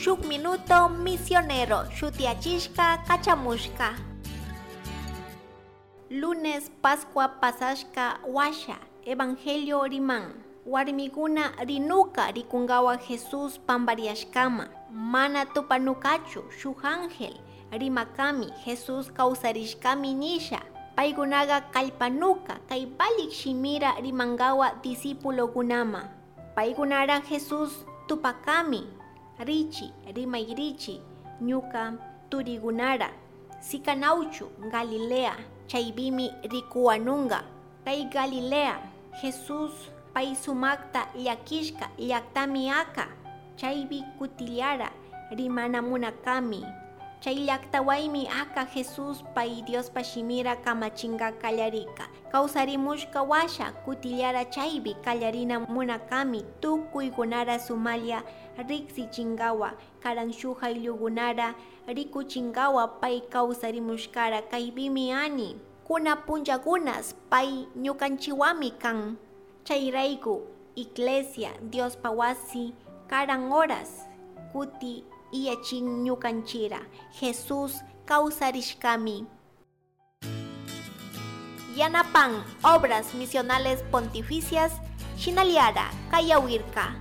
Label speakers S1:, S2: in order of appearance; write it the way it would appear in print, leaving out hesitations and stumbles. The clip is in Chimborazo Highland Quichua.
S1: Shuk Minuto Misionero shutiachishka kachamushka. Lunes Pascua pasashka washa Evangelio riman. Warmiguna rinuka rikungawa Jesús pambariashkama. Mana tupanukachu shuk ángel rimakami Jesús kawsarishkami nisha. Paykunaga kallpanuka kay valik shimira rimangawa discípulokunama. Paykunara Jesús tupakami richi rimayrichi ñuka turigunara. Sikanawchu Galilea chaybimi rikuwanunga. Kay Galilea Jesús pay sumakta llakishka llaktami aka. Chaypi kutillara rimana munakami. Chay llaktawaymi aka Jesús pay Diospa shimira kamachinga kallarika. Kawsarimushka washa kutillara chaypi kallarina munakami tukuykunara sumalla riksichingawa karan shuk ayllukunara rikuchingawa pay kawsarimushkara kaypimi ani. Kuna punllakunas pay ñukanchiwami kan. Chayrayku Iglesia Diospa wasi karan horas kuti iyachin ñukanchira Jesús kawsarishkami. Yanapan Obras Misionales Pontificias Shinaliara Kayawirka.